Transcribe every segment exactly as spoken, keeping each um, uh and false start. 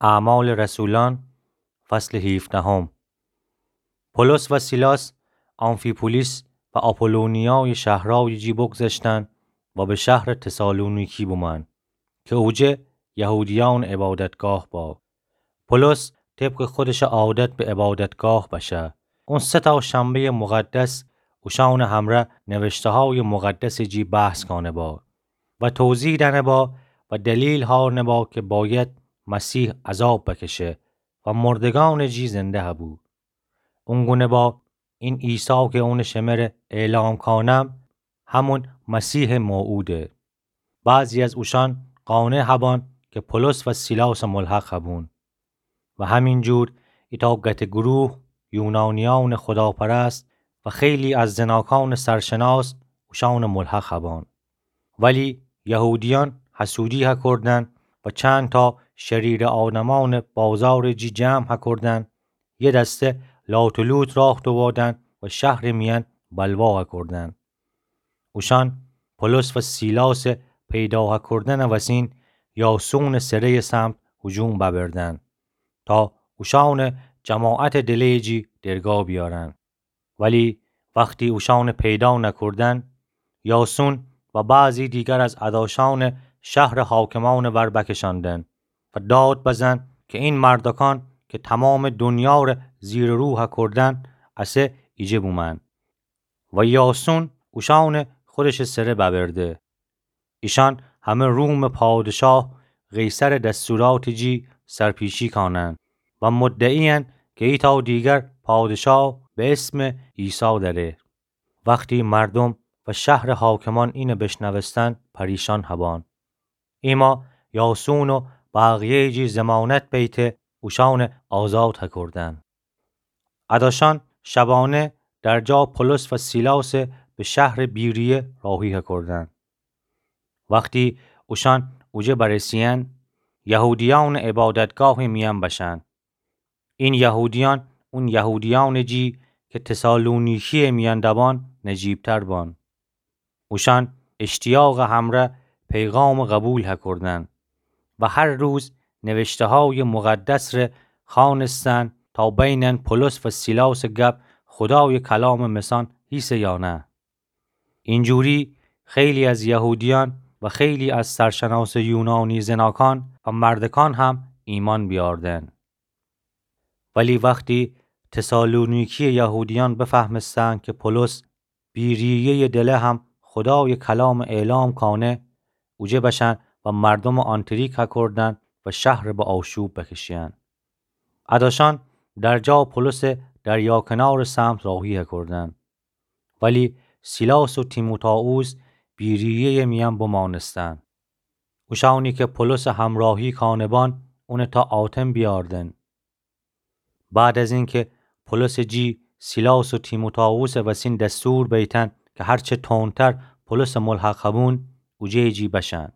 اعمال رسولان، فصل هیفدهم. پولس و سیلاس آمفی‌پولیس و آپولونیای شهرای جی بگذشتن و به شهر تسالونیکی بومن که اوجه یهودیان عبادتگاه با. پولس طبق خودش عادت به عبادتگاه بشه. اون سه تا شنبهٔ مقدس اوشان همره نوشته‌های مقدس جی بحث کانه با و توضیح دنه با و دلیل هارنه با که باید مسیح عذاب بکشه و مردگان جی زنده هبو. اون گونه با این عیسی که اون شمره اعلام کانم، همون مسیح موعوده. بعضی از اوشان قانع هبان که پولس و سیلاس ملحق هبون. و همین جور ایتا گته گروه یونانیان خداپرست و خیلی از زناکان سرشناس اوشان ملحق هبان. ولی یهودیان حسودی هکردن و چند تا شریر آدمان بازار جی جمع هکردن، یه دسته لات و لوت راه دوادن و شهر میان بلوا هکردن. اوشان پولس و سیلاس پیدا هکردن وسین یاسون سرهٔ سمت هجوم ببردن تا اوشان جماعت دله‌ی جی درگا بیارن. ولی وقتی اوشان پیدا نکردن، یاسون و بعضی دیگر از اداشان شهر حاکمان ور بکشاندن و داد بزن که این مردکان که تمام دنیا ره زیر و رو هکردن، اسه ایجه بومن. و یاسون اوشان خودش سره ببرده. ایشان همه روم پادشاه قیصر دستورات جی سرپیچی کانن و مدعی‌ان که ایتا دیگر پادشاه به اسم عیسی دره. وقتی مردم و شهر حاکمان اینه بشنوستن، پریشان هبان. ایما یاسون و بقیه‌ی جی ضمانت بیته اوشان آزاد هکردن. اداشان شبانه در جا پولس و سیلاس به شهر بیریه راهی هکردن. وقتی اوشان اوجه برسی‌ان، یهودیان عبادتگاه میان بشن. این یهودیان اون یهودیان جی که تسالونیکی میان دبان نجیب‌تر بان. اوشان اشتیاق همره پیغام قبول هکردن و هر روز نوشته‌های مقدس ره خوانستن تا بینن پولس و سیلاس گپ خدای کلام مثان هیسه یا نه. اینجوری خیلی از یهودیان و خیلی از سرشناس یونانی زناکان و مردکان هم ایمان بیاردن. ولی وقتی تسالونیکی یهودیان بفهمستن که پولس بیریه‌ی دله هم خدای کلام اعلام کانه، اوجه بشن و مردم آنتریک هکردن و شهر به آشوب بکشی‌ان. اداشان در جا پولس دریا کنار سمت راهی هکردن. ولی سیلاس و تیموتائوس بیریه‌ی میان بمانستن. اوشانی که پولس همراهی کانه بان، اونه تا آتن بیاردن. بعد از اینکه پولس جی سیلاس و تیموتائوس وسین دستور بیتن که هرچه تندتر پولس ملحق هبون، اوجه جی بشن.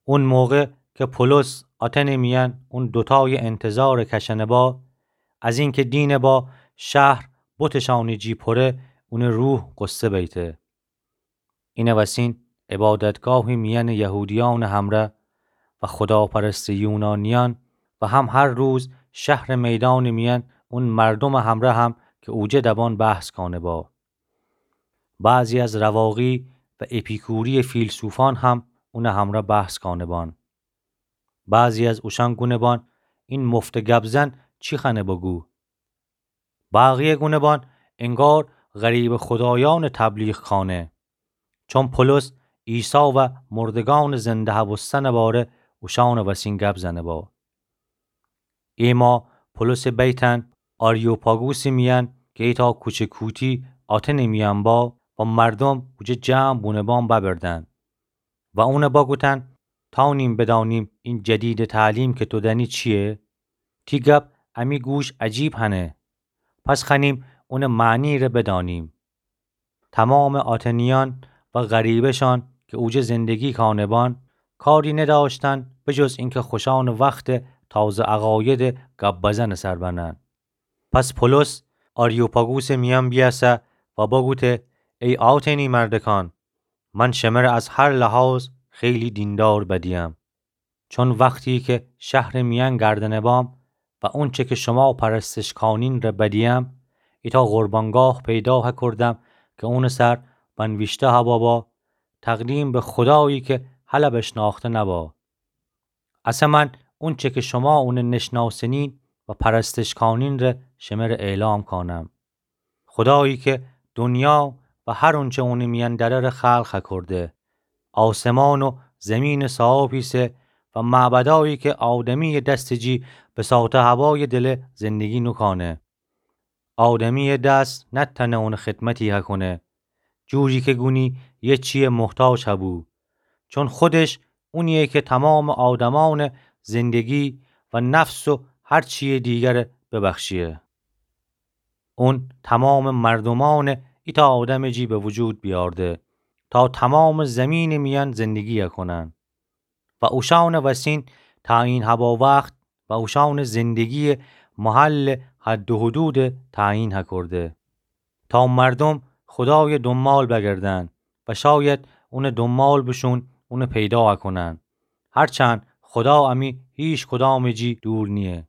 اون موقع که پولس آتن میان اون دوتای انتظار کشنه با، از اینکه دینه با شهر بتشان جی پره، اون روح غصه بیته. اینه وسین عبادتگاه میان یهودیان همره و خداپرست یونانیان و هم هر روز شهر میدان میان اون مردم همره هم که اوجه دبان بحث کانه با. بعضی از رواقی و اپیکوری فیلسوفان هم اون همره بحث کانه بان. بعضی از اوشان گونه بان، این مفت گب‌زن چی خوأنه بگو؟ بقیه گونه بان انگار غریبه خدایان تبلیغ کانه. چون پولس عیسی و مردگان زنده هبوستن باره اوشان وسین گب زنه با. ایما پولس بیتن آریوپاگوس میان که ایتا کوچه کوتی آتن میان با و مردم اوجه جمع بونه بان ببردن. و اونه بگوتن: تا نیم بدانیم این جدید تعلیم که تو دنی چیه؟ تی گپ امی گوش عجیب هنه. پس خوأنیم اونه معنی ره بدانیم. تمام آتنیان و غریبه‌شان که اوجه زندگی کانه بان، کاری نداشتن به جز اینکه خوشان وخت تازه عقاید گپ بزن سر بنن. پس پولس آریوپاگوس میان بیأسه و بگوته: ای آتنی مردکان، من شمره از هر لحاظ خیلی دیندار بدیم. چون وختی کی شهرٚ میأن گردنه بام و اونچه کی شوما پرستش کانین ره بدییم، ایتأ قربانگاه پیدا هکردم کی اونٚ سر بنویشته هبابا: تقدیم به خودایی کی هله بشناخته نبا. اسه من اونچه کی شوما اونه نشناسنین و پرستش کانین ره شمره اعلام کانم. خودایی کی دنیا و هر اونچه اونٚ میأن دأره ره خلق هکرده، آسمان و زیمینٚ صاحب ایسه و معبدایی کی آدمیٚ دستٚ جی بساطه هبایٚ دله زندگی نوکانه. آدمیٚ دس نتأنه اونٚ خدمتی هکونه، جوری کی گونی یه چیه محتاج هبو، چون خودش اونیه کی تومامٚ آدمأنٚ زندگی و نفس و هر چیه دیگره ببخشیه. اون تومامٚ مردومأنه ایتأ آدمٚ جی به وجود بیارده تا تومامٚ زیمینٚ میأن زندگی هکونن. و اوشأنٚ وسین تعیین هبا وخت و اوشأنٚ زندگیٚ محلٚ حد و حدود تعیین هکرده تا مردوم خودایٚ دونبال بگردن و شاید اونٚ دونبال بوشون اونٚ پیدا هکونن. هرچند خودا امی هیچ کدامٚ جی دور نییه،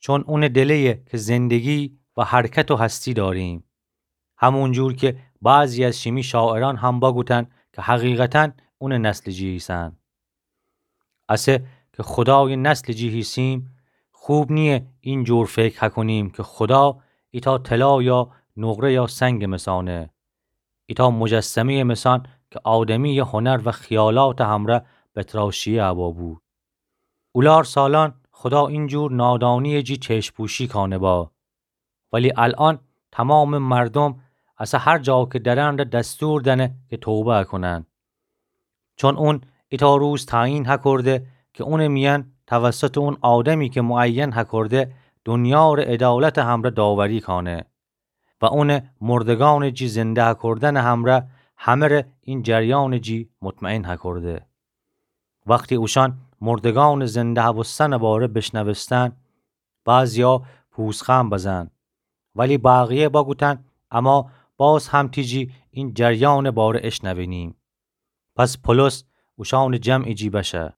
چون اونٚ دله‌یه کی زندگی و حرکت و هستی داریم. همون جور کی بعضی از شیمی شاعرأن هم بگوتن کی حقیقتاً اونٚ نسلٚ جی ایسن. اسه کی خودایٚ نسلٚ جی هیسیم، خوب نییه این جور فکر هکونیم کی خودا ایتأ طلا یا نقره یا سنگٚ مسانه، ایتأ مجسمه‌یٚ مسان کی آدمیٚ هنر و خیالاتٚ همره بتراشیه هبابو. اولار سالأن خودا این جور نادانیٚ جی چشم‌پوشی کانه با. ولی الأن تومامٚ مردوم اسه هر جا کی درن ره دستور دأنه کی توبه هکونن. چون اون ایتأ روز تعیین هکرده کی اونٚ میأن توسطٚ اون آدمی کی معین هکرده دنیا ره عدالتٚ همره داوری کانه و اونٚ مردگأنٚ جی زنده هکردنٚ همره همه ره این جریانٚ جی مطمئن هکرده. وختی اوشأن مردگأنٚ زنده هبوستنٚ باره بیشنوستن، بعضیا پوزخند بزن، ولی بقیه بگوتن اما باز هم تیجی این جریانٚ باره اشنوینیم. پس پولس اوشأنٚ جمعٚ جی بشه.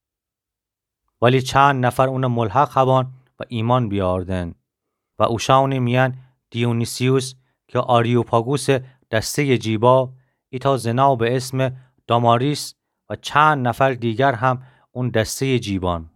ولی چند نفر اونه ملحق هبان و ایمأن بیاردن. و اوشأنٚ میأن دیونیسیوس کی آریوپاگوسٚ دسته‌یٚ جی با، ایتأ زنا به اسمٚ داماریس و چند نفر دیگر هم اون دسته‌یٚ جی بان.